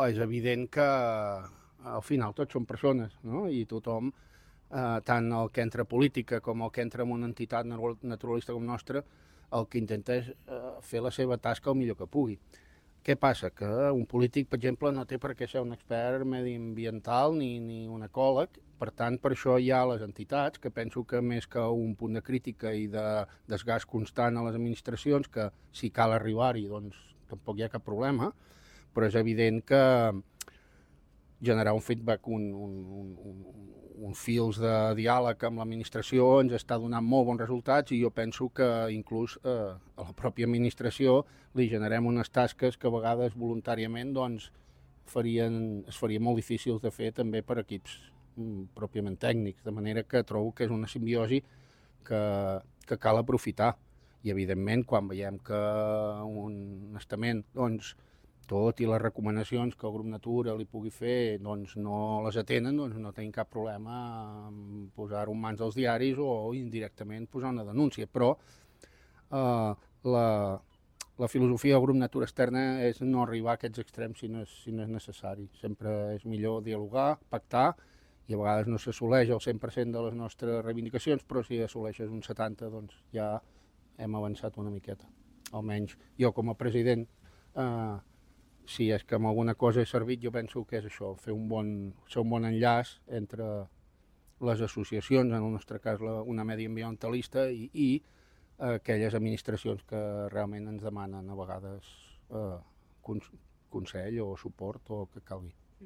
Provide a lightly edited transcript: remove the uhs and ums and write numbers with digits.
És evident que al final tots som persones, no? I tothom, tant el que entra a política com el que entra en una entitat naturalista com nostra, el que intenta és fer la seva tasca el millor que pugui. Què passa? Que un polític, per exemple, no té per què ser un expert mediambiental ni un ecòleg. Per tant, per això hi ha les entitats, que penso que més que un punt de crítica i de desgast constant a les administracions, que si cal arribar-hi, doncs tampoc hi ha cap problema, però és evident que generar un feedback, un fils de diàleg amb l'administració ens està donant molt bons resultats i jo penso que inclús a la pròpia administració li generem unes tasques que a vegades voluntàriament doncs, es farien molt difícils de fer també per equips pròpiament tècnics, de manera que trobo que és una simbiosi que cal aprofitar i evidentment quan veiem que un estament doncs, tot i les recomanacions que el grup Natura li pugui fer doncs no les atenen, doncs no tenim cap problema en posar-ho en mans dels diaris o indirectament posar una denúncia, però la filosofia del grup Natura Externa és no arribar a aquests extrems si no és necessari. Sempre és millor dialogar, pactar, i a vegades no s'assoleix el 100% de les nostres reivindicacions, però si assoleixes un 70% doncs ja hem avançat una miqueta. Almenys jo com a president si és que amb alguna cosa he servit, jo penso que és això, fer un bon enllaç entre les associacions, en el nostre cas una mediambientalista, i aquelles administracions que realment ens demanen a vegades consell o suport o el que calgui.